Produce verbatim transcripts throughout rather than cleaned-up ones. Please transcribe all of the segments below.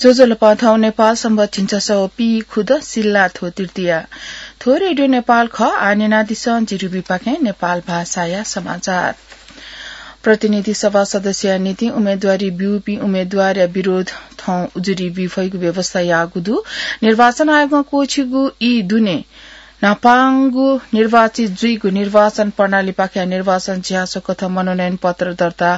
ज्वजलपा, थौं नेपाल संवत् झिंछसः व पीखुदँ सिल्लाथ्व तृतीया। थ्व रेडियो नेपाल खः। आः न्यनादिसँ जिरिबीपाखें नेपाल भाषाया समाचार। प्रतिनिधि सभा सदस्यया निंतिं उम्मेदवारी ब्यूपिं उम्मेदवारया विरोध थौं उजुरी बी फइगु व्यवस्था याःगु दु। निर्वाचन आयोगं क्वःछिगु ई दुने न्हापांगु निर्वाचित जुइगु निर्वाचन प्रणालीपाखें निर्वाचन झ्याःझो कथं मनोनयन पत्र दर्ता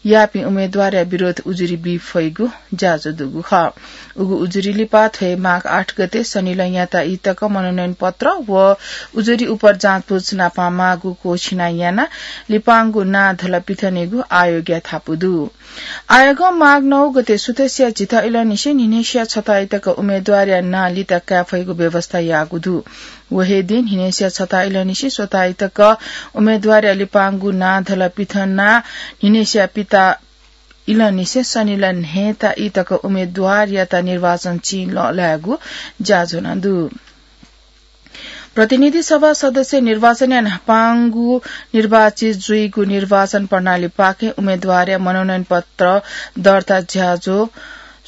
याःपिं उम्मेदवारया विरोध उजुरी बी फइगु ज्याझ्वः दुगु खः। उगु उजुरी लिपा थ्व हे माघ आठ गते सनिलय् याता ई तक मनोनयन पत्र व उजुरी उपर जाँचबुझ नापं माःगु क्वःछिना यानाः लिपांगु नां धलपिथनेगु आयोगया धापू दु। आयोगं माघ नौ गते सुथसिया झिथः इलंनिसें न्हिनय्सिया छथः ई तक उम्मेदवारया नां लिता काये फइगु व्यवस्था याःगु दु। व हे दिं न्हिनय्सिया छथः इलंनिसें स्वथः ई तक उम्मेदवारया लिपांगु नां धलपिथनाः न्हिनय्सिया पिथः इलंनिसें सनिलय् न्हय्ता ई तक उम्मेदवारयात निर्वाचन चिं लःल्हायेगु ज्याझ्वलं दु। प्रतिनिधि सभा सदस्य निर्वाचनया न्हापांगु निर्वाचित जुइगु निर्वाचन प्रणालीपाखें उम्मेदवारया मनोनयन पत्र दर्ता ज्याझ्वः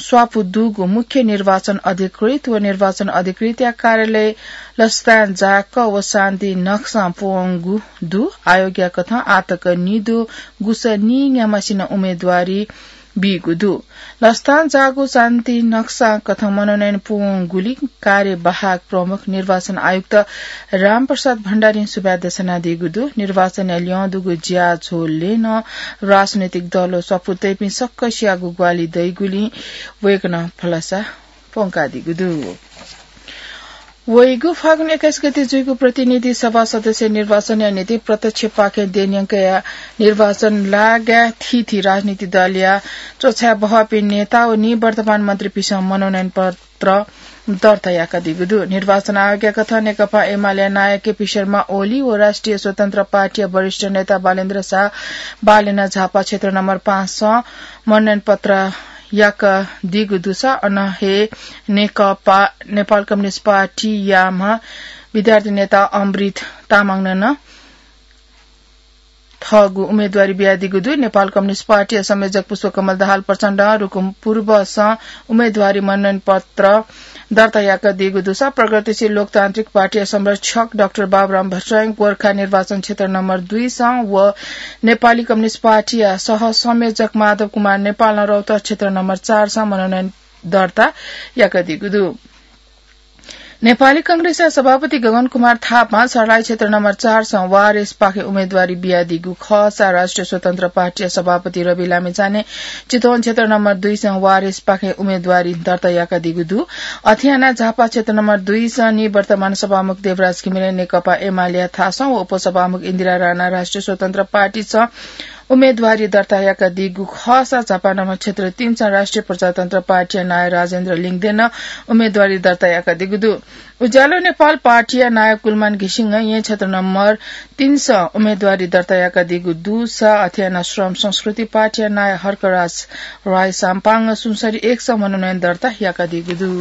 स्वापू दुगु मुख्य निर्वाचन अधिकृत व निर्वाचन अधिकृतया कार्यालय लसतां जाक व शान्ति नक्सां प्वंगु दु। आयोगया कथं आःतक निदँ गुसः नीन्याम्हसिनं उम्मेदवारी बीगु दु। लसतां जाःगु शान्ति नक्सा कथं मनोनयन पूवंगुलिं कार्यवाहक प्रमुख निर्वाचन आयुक्त रामप्रसाद भण्डारीं सुभाय् देछानादीगु दु। निर्वाचनया ल्यं दुगु ज्याझ्वलय् नं राजनैतिक दल व सफू तइपिं सकसियागु ग्वाहालि दइगुलिं वय्कलं भलसा प्वंकादीगु दु। वइगु फागुन एक्काइस गते जुइगु प्रतिनिधि सभा सदस्य निर्वाचनया निंतिं प्रत्यक्षपाखें देय् न्यंकया निर्वाचन लागाय् थीथी राजनीतिक दलया च्वछाये बहःपिं नेता व निवर्तमान मन्त्रीपिन्सं मनोनयन पत्र दर्ता याकादीगु दु। निर्वाचन आयोगया कथं नेकपा एमालेया नायः केपी शर्मा ओली व राष्ट्रिय स्वतन्त्र पार्टीया वरिष्ठ नेता बालेन्द्र शाह बालेन झापा क्षेत्र नम्बर पाँचसं मनोनयन पत्र याकादीगु दुसा अन हे नेकपा, नेपाल कम्युनिस्ट पार्टीयाम्ह विद्यार्थी नेता अमृत तामाङनं नं थःगु उम्मेदवारी बियादीगु दु। नेपाल कम्युनिस्ट पार्टीया संयोजक पुष्पकमल दाहाल प्रचण्डं रुकुम पूर्वसं उम्मेदवारी मनोनयन पत्र दर्ता याकादीगु दुसा प्रगतिशील लोकतान्त्रिक पार्टीया संरक्षक डाक्टर बाबुराम भट्टराई गोर्खा निर्वाचन क्षेत्र नम्बर दुईसं व नेपाली कम्युनिस्ट पार्टीया सह संयोजक माधव कुमार नेपालं रौतहट क्षेत्र नम्बर चारसं मनोनयन दर्ता याकादीगु दु। नेपाली कांग्रेसया सभापति गगन कुमार थापां सर्लाही क्षेत्र नम्बर चारसं वारेसपाखें उम्मेदवारी बियादीगु खःसा राष्ट्रिय स्वतन्त्र पार्टीया सभापति रवि लामिछाने चितवन क्षेत्र नम्बर दुईसं वारेसपाखें उम्मेदवारी दर्ता याकादीगु दु। अथे यानाः झापा क्षेत्र नम्बर दुईसं निवर्तमान सभामुख देवराज घिमिरे नेकपा एमालेया थासं व उपसभामुख इन्दिरा राणा राष्ट्रिय स्वतन्त्र पार्टीसं उम्मेदवारी दर्ता याकादीगु खःसा झापा नम्बर क्षेत्र तीनसं राष्ट्रिय प्रजातन्त्र पार्टीया नायः राजेन्द्र लिङदेनं उम्मेदवारी दर्ता याकादीगु दु। उज्यालो नेपाल पार्टीया नायः कुलमान घिसिङं येँ क्षेत्र नम्बर तीनसं उम्मेदवारी दर्ता याकादीगु दुसा अथे यानाः श्रम संस्कृति पार्टीया नायः हर्कराज राय साम्पाङं सुनसरी एकसं मनोनयन दर्ता याकादीगु दु।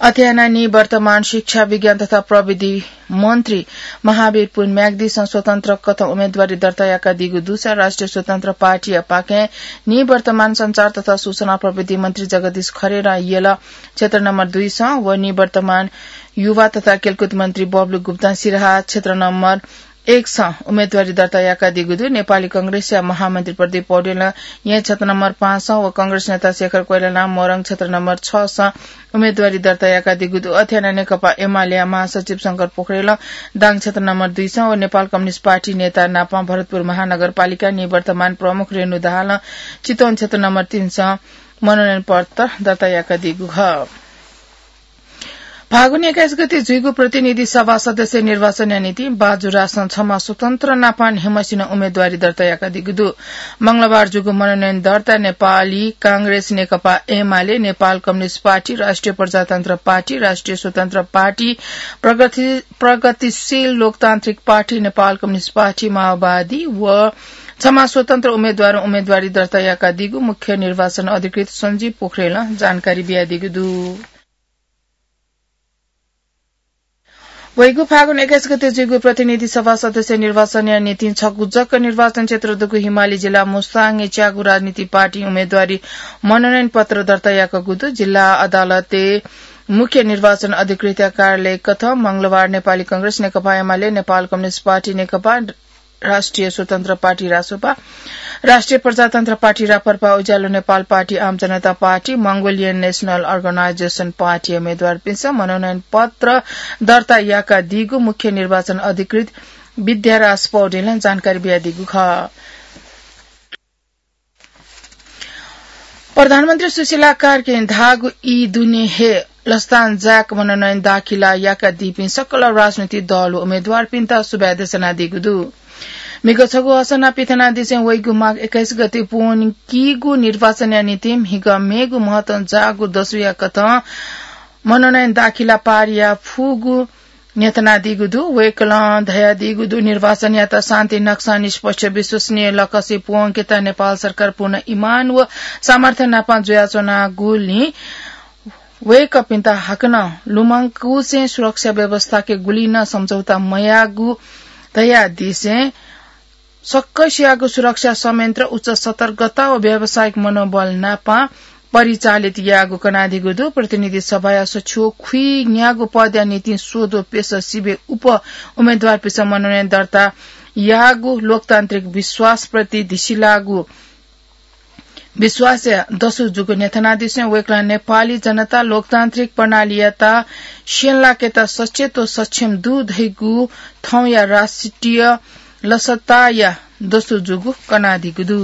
अथे यानाः निवर्तमान शिक्षा, विज्ञान तथा प्रविधि मन्त्री महावीर पुन म्याग्दीसं स्वतन्त्र कथं उम्मेदवारी दर्ता याकादीगु दुसा राष्ट्रिय स्वतन्त्र पार्टीया पाखें निवर्तमान सञ्चार तथा सूचना प्रविधि मन्त्री जगदीश खरेलं यल क्षेत्र नम्बर दुईसं व निवर्तमान युवा तथा खेलकुद मन्त्री बबलु गुप्तां सिराहा क्षेत्र नम्बर एकसं उम्मेदवारी दर्ता याकादीगु दु। नेपाली कांग्रेसया महामन्त्री प्रदीप पौडेलं येँ क्षेत्र नम्बर पाँचसं व कांग्रेस नेता शेखर कोइरालां मोरङ क्षेत्र नम्बर छसं उम्मेदवारी दर्ता याकादीगु दु। अथे यानाः नेकपा एमालेया महासचिव शंकर पोखरेलं दाङ क्षेत्र नम्बर दुईसं व नेपाल कम्युनिस्ट पार्टी नेता नापं भरतपुर महानगरपालिका निवर्तमान प्रमुख रेणु दाहालं चितवन क्षेत्र नम्बर तीनसं मनोनयन पत्र दर्ता याकादीगु खः। फागुन एक्काइस गते जुइगु प्रतिनिधि सभा सदस्य निर्वाचनया निंतिं बाजुरासं छम्ह स्वतन्त्र नापं न्हय्म्हसिनं उम्मेदवारी दर्ता याकादीगु दु। मंगलबार जूगु मनोनयन दर्ता नेपाली कांग्रेस, नेकपा एमाले, नेपाल कम्युनिस्ट पार्टी, राष्ट्रिय प्रजातन्त्र पार्टी, राष्ट्रिय स्वतन्त्र पार्टी, प्रगति-, प्रगतिशील लोकतान्त्रिक पार्टी, नेपाल कम्युनिस्ट पार्टी, माओवादी व छम्ह स्वतन्त्र उम्मेदवारं उम्मेदवारी दर्ता याकादीगु मुख्य निर्वाचन अधिकृत सञ्जीव पोखरेलं जानकारी बियादीगु दु। वइगु फागुन एक्काइस गते जुइगु प्रतिनिधि सभा सदस्य निर्वाचनया निंतिं छगू जक निर्वाचन क्षेत्र दुगु हिमाली जिल्ला मुस्ताङय् च्यागू राजनीतिक पार्टी उम्मेदवारी मनोनयन पत्र दर्ता याकूगु दु। जिल्ला अदालतय् मुख्य निर्वाचन अधिकृतया कार्यालय कथं मंगलबार नेपाली कांग्रेस, नेकपा एमाले, नेपाल कम्युनिस्ट पार्टी, नेकपा राष्ट्रिय स्वतन्त्र पार्टी, रासोपा, राष्ट्रिय प्रजातन्त्र पार्टी, राप्रपा, उज्यालो Nepal party, Aam Janata party, Mongolian National Organisation Party उम्मेदवारपिन्सं मनोनयन पत्र दर्ता याकादीगु मुख्य निर्वाचन अधिकृत विद्याराज पौडेलं जानकारी बियादीगु खः। प्रधानमन्त्री सुशीला कार्कीं धाःगु ई दुने हे लसतान जाय्क मनोनयन दाखिला याकादीपिं सकल राजनीतिक दल व उम्मेदवारपिन्त सुभाय् देछानादीगु दु। म्हिगः छगू असना पिथनादिसें वइगु माघ एक्काइस गते पूवंकीगु निर्वाचनया निंतिं म्हिगः मेगु महत्वं जाःगु दसुया कथं मनोनयन दाखिला पारिया फुगु न्ह्यथनादीगु दु। वय्कलं धयादीगु दु, निर्वाचनयात शान्ति नक्सा, निष्पक्ष, विश्वसनीय लकसे पूवंकेत नेपाल सरकार पूर्ण इमान व सामर्थ्य नापं जुयाच्वनागुलिं वय्कःपिन्त हाकनं लुमंकुसें सुरक्षा व्यवस्थाके गुलि नं सम्झौता मयाःगु धयादिसें सकसियागु सुरक्षा संयन्त्र उच्च सतर्कता व व्यावसायिक मनोबल नापं परिचालित याःगु कनादीगु दु। प्रतिनिधि सभाया सछिव खुइन्यागू पदया निंतिं स्वद्वः प्यसः सिबें उप उम्मेदवारपिन्सं मनोनयन दर्ता याःगु लोकतान्त्रिक विश्वासप्रति धिसिलाःगु विश्वासया दसु जूगु न्ह्यथनादिसें वय्कलं नेपाली जनता लोकतान्त्रिक प्रणालीयात स्यंलाकेत सचेत व सक्षम दु धइगु थौंया राष्ट्रिय लसताया दसु जूगु कनादीगु दु।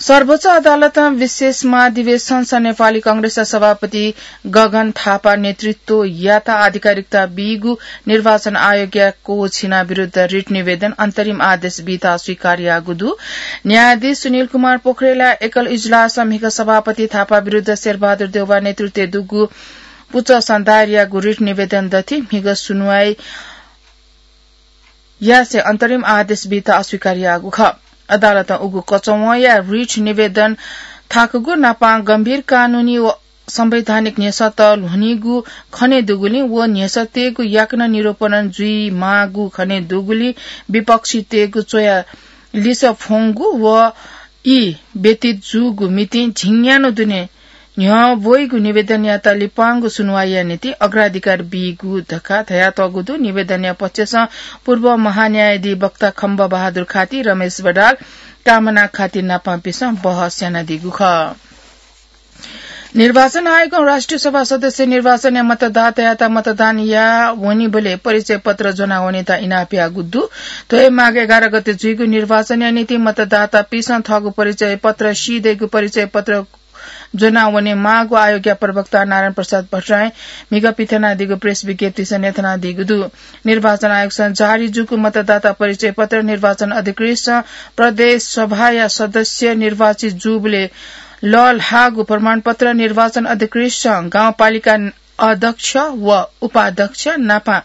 सर्वोच्च अदालतं विशेष महाधिवेशनस नेपाली कांग्रेसया सभापति गगन थापा नेतृत्वयात आधिकारिकता बीगु निर्वाचन आयोगया कोछिना विरुद्ध रिट निवेदन अन्तरिम आदेश बीत अस्वीकार याःगु दु। न्यायाधीश सुनिल कुमार पोखरेलया एकल इजलासं म्हिगः सभापति थापा विरुद्ध शेरबहादुर देउवा नेतृत्वय् दुगु पुचःसं दायर याःगु रिट निवेदन दथि म्हिगः सुनुवाइ यासें अन्तरिम आदेश बीत अस्वीकार याःगु खः। अदालतं उगु कचवंया रिट निवेदन थाकूगु नापं गम्भीर कानूनी व संवैधानिक न्ह्यसःत ल्ह्वनीगु खनेदुगुलिं व न्ह्यसःतय्गु याकनं निरूपण जुइमाःगु खनेदुगुलिं विपक्षीतय्गु च्वया लिसः फ्वंगु व ई व्यतीत जूगु मितिं झिंन्यान्हु दुने न्ह्यब्वइगु निवेदनयात लिपांगु सुनुवाइया निंतिं अग्राधिकार बीगु धकाः धयातःगु दु। निवेदनया पक्षसं पूर्व महान्यायाधीवक्ता खम्ब बहादुर खाती, रमेश बडाल, कामना खाती नापंपिन्सं बहस यानादीगु खः। निर्वाचन आयोगं राष्ट्रिय सभा सदस्य निर्वाचनय् मतदातायात मतदान याः वनीबलय् परिचय पत्र ज्वनावनेत इनाप याःगु दु। थ्व हे माघ एघार गते जुइगु निर्वाचनया निंतिं मतदातापिन्सं थःगु परिचय पत्र सीदइगु परिचय पत्र ज्वनावने माःगु आयोगया प्रवक्ता नारायण प्रसाद भट्टराईं म्हिगः पिथनादीगु प्रेस विज्ञप्तिस न्ह्यथनादीगु दु। निर्वाचन आयोगसं जारी जूगु मतदाता परिचय पत्र निर्वाचन अधिकृतसं प्रदेश सभाया सदस्य निर्वाचित जूबलय् लःल्हाःगु प्रमाणपत्र, निर्वाचन अधिकृतसं गाउँपालिका अध्यक्ष व उपाध्यक्ष नापं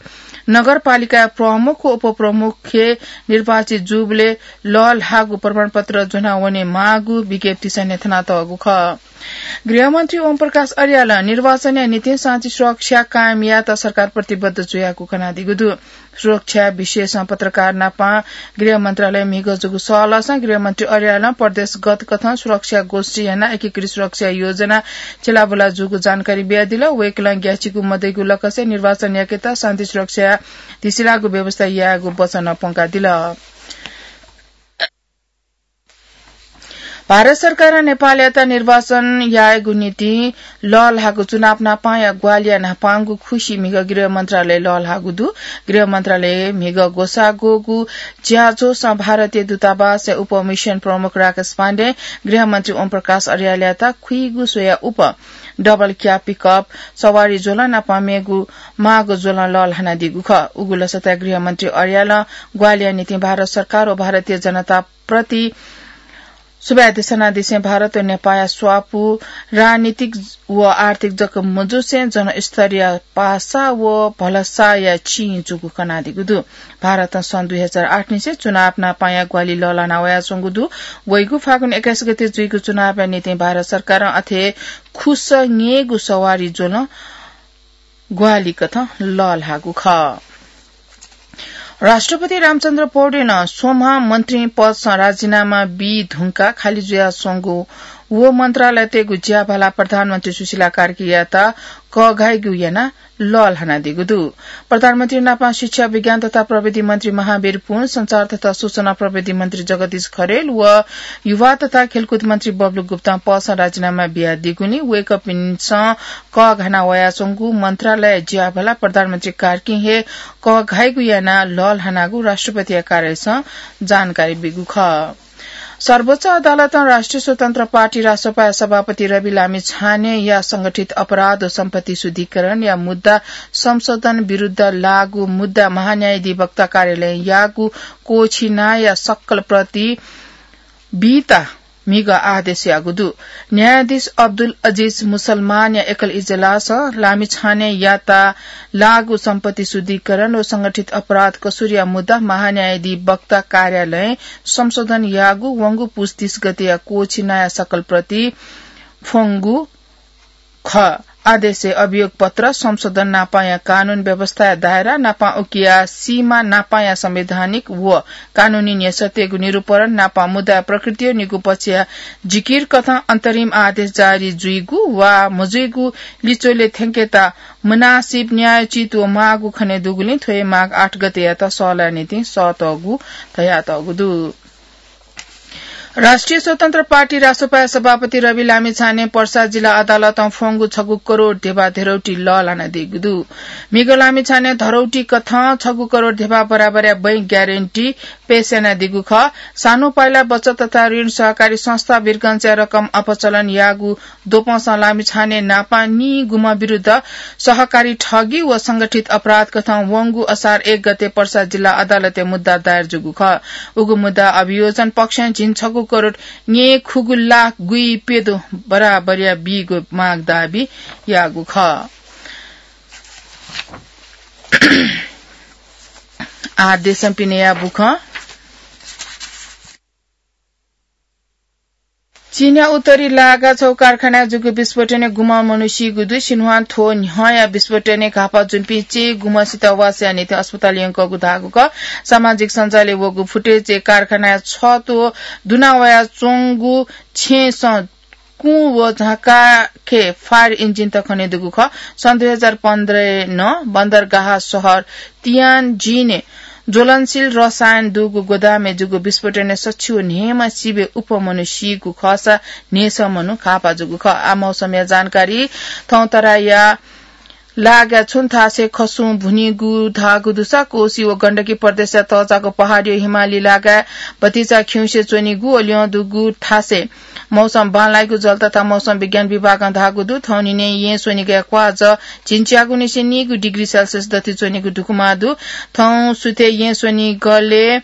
नगरपालिकाया प्रमुख व उपप्रमुखय् निर्वाचित जूबलय् लःल्हाःगु प्रमाणपत्र ज्वनावने माःगु विज्ञप्तिस न्ह्यथनातःगु खः। गृहमन्त्री ओम प्रकाश अर्यालं निर्वाचनया निंतिं शान्ति सुरक्षा कायम यायेत सरकार प्रतिबद्ध जुयागु कनादीगु दु। सुरक्षा विषयसं पत्रकार नापं गृह मन्त्रालय म्हिगः जूगु सहलहसं गृहमन्त्री अर्यालं प्रदेशगत कथं सुरक्षा गोष्ठी यानाः एकीकृत सुरक्षा योजना चिलाबुला जूगु जानकारी बियादिल। वय्कलं ग्याःचिकु मदइगु लकसे निर्वाचन याकेत शान्ति सुरक्षा धिसिलाःगु व्यवस्था यायेगु वचन प्वंकादिल। भारत सरकारं नेपालयात निर्वाचन यायेगु निंतिं लःल्हाःगु चुनाव नापांया ग्वाहालिया न्हापांगु खुसि म्हिगः गृह मन्त्रालय लःल्हाःगु दु। गृह मन्त्रालय म्हिगः ग्वसाः ग्वःगु ज्याझ्वलय् भारतीय दूतावासया उप मिसन प्रमुख राकेश पाण्डें गृहमन्त्री ओम प्रकाश अर्यालयात खुइगु स्वया उप डबल क्याब पिकअप सवारी ज्वलं नापं मेगु माःगु ज्वलं लःल्हानादीगु खः। उगु लसताय् गृहमन्त्री अर्यालं ग्वाहालिया निंतिं भारत सरकार व भारतीय जनता प्रति सुभाय् देछानादिसें भारत व नेपाःया स्वापू राजनीतिक व आर्थिक जक मजुसें जनस्तरया पासा व भलसाया चिं जूगु कनादीगु दु। भारतं सन् दुई हजार आठ निसें चुनाव नापांया ग्वाहालि लःल्हाना वयाच्वंगु दु। वइगु फागुन एक्काइस गते जुइगु चुनावया निंतिं भारत सरकारं अथे खुसः न्येगु सवारी ज्वलं ग्वाहालि कथं लःल्हाःगु खः। राष्ट्रपति रामचन्द्र पौडेलं स्वम्ह मन्त्री पदसं राजीनामा बी धुंकाः खाली जुयाच्वंगु व मन्त्रालयतय्गु ज्याभाला प्रधानमन्त्री सुशीला कार्कीयात कःघाइगु यानाः लःल्हानादीगु दु। प्रधानमन्त्री नापं शिक्षा, विज्ञान तथा प्रविधि मन्त्री महावीर पुन, संचार तथा सूचना प्रविधि मन्त्री जगदीश खरेल व युवा तथा खेलकुद मन्त्री बबलु गुप्तां पदसं राजीनामा बियादीगुलिं वय्कःपिन्सं कःघाना वयाच्वंगु मन्त्रालय ज्याभाला प्रधानमन्त्री कार्कीं हे कःघाइगु यानाः लःल्हानागु राष्ट्रपतिया कार्यालयसं जानकारी ब्यूगु खः। सर्वोच्च अदालतं राष्ट्रिय स्वतन्त्र पार्टी रासोपाया सभापति रवि लामिछानेया संगठित अपराध व सम्पत्ति शुद्धिकरणया मुद्दा संशोधन विरुद्ध लाःगु मुद्दा महान्यायाधिवक्ता कार्यालयं याःगु क्वःछिनाया सकल प्रति बीत म्हिगः आदेश याःगु दु। न्यायाधीश अब्दुल अजिज मुसलमानया एकल इजलासं लामिछानेयात लाःगु सम्पत्ति शुद्धिकरण व संगठित अपराध कसुरया मुद्दा महान्यायाधिवक्ता कार्यालयं संशोधन याःगु वंगु पुस तीस गतेया क्वःछिनाया सकल प्रति फ्वंगु खः। आदेशय् अभियोगपत्र, संशोधन नापंया कानून व्यवस्थाया दायरा नापं उकिया सीमा नापंया संवैधानिक व कानूनी न्ह्यसःतय्गु निरूपण नापं मुद्दाया प्रकृतियो निगू पक्षया जिकिर कथं अन्तरिम आदेश जारी जुइगु वा मजुइगु लिच्वलय् थ्यंकेत मुनासिब न्यायोचित व माःगु खनेदुगुलिं थ्व हे माघ आठ गतेयात सःलाय् निंतिं सःतःगु धयातःगु दु। राष्ट्रिय स्वतन्त्र पार्टी रासोपाया सभापति रवि लामिछानें पर्सा जिल्ला अदालतं फ्वंगु छगू करोड ध्यबा धेरौटी लःल्हानादीगु दु। म्हिगः लामिछानें धरौटी कथं छगू करोड ध्यबा बराबरया बैंक ग्यारेन्टी पेश यानादीगु खः। सानो पाइला बचत तथा ऋण सहकारी संस्था वीरगंजया रकम अपचलन याःगु द्वपंसं लामिछाने नापं निगुम्ह विरुद्ध सहकारी ठगी व संगठित अपराध कथं वंगु असार एक गते पर्सा जिल्ला अदालतय् मुद्दा दायर जूगु खः। उगु मुद्दा अभियोजन पक्षं झिंछगू करोड न्यय्खुगू लाख गुइप्यदँ बराबरया बीगु माग दाबी याःगु खः। आः देशं पिनेया बुखँ। चीनया उत्तरी लागा छगू कारखानाय् जूगु विस्फोटनय् गुम्ह मनू सीगु दु। सिन्हुवां थ्व न्ह्यःया विस्फोटनय् घाःपा जूपिं चय्गुम्हसित वासया निंतिं अस्पताल यंकूगु धाःगु खः। सामाजिक सञ्जालय् वःगु फुटेजय् कारखानाय् छत्व दुना वयाच्वंगु छेँसं कुँ व झाँकाखे फायर इन्जिन तक खनेदुगु खः। सन् दुई हजार पन्ध्रय् नं बन्दरगाह शहर तियानजिनय् ज्वलनशील रसायन दुगु गोदामय् जूगु विस्फोटनय् सछि व न्हय्म्ह सिबय् अप्वः मनू सीगु खःसा न्हय्सः मनू घाःपा जूगु खः। आः मौसमया जानकारी। थौं तराईया लागाय् छुं थासय् खसुं भुनीगु धाःगु दुसा कोशी व गण्डकी प्रदेशया तःजाःगु पहाडया हिमाली लागाय् भतिचा खिउँसे च्वनीगु व ल्यं दुगु थासय् मौसम बांलाइगु जल तथा मौसम विज्ञान विभागं धाःगु दु। थौंनिनय् येँ स्वनिगलय् क्वाःजः झिंच्यागुनिसें नीगु डिग्री सेल्सियस दथुइ च्वनीगु दुगु माः दु। थौं सुथय् येँ स्वनिगलय्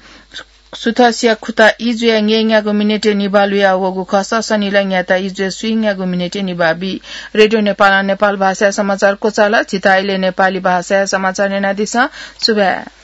सुथसिया खुता इजुया ङ्येंन्यागू मिनेटय् निभाः लुया वःगु खःसा सनिलय् न्याता इजुया स्वीन्यागू मिनेटय् निभाः बी। रेडियो नेपालं नेपाल भाषाया समाचार क्वचाल। झीत इलय् नेपाली भाषाया समाचार न्यनादिसँ। सुभाय्।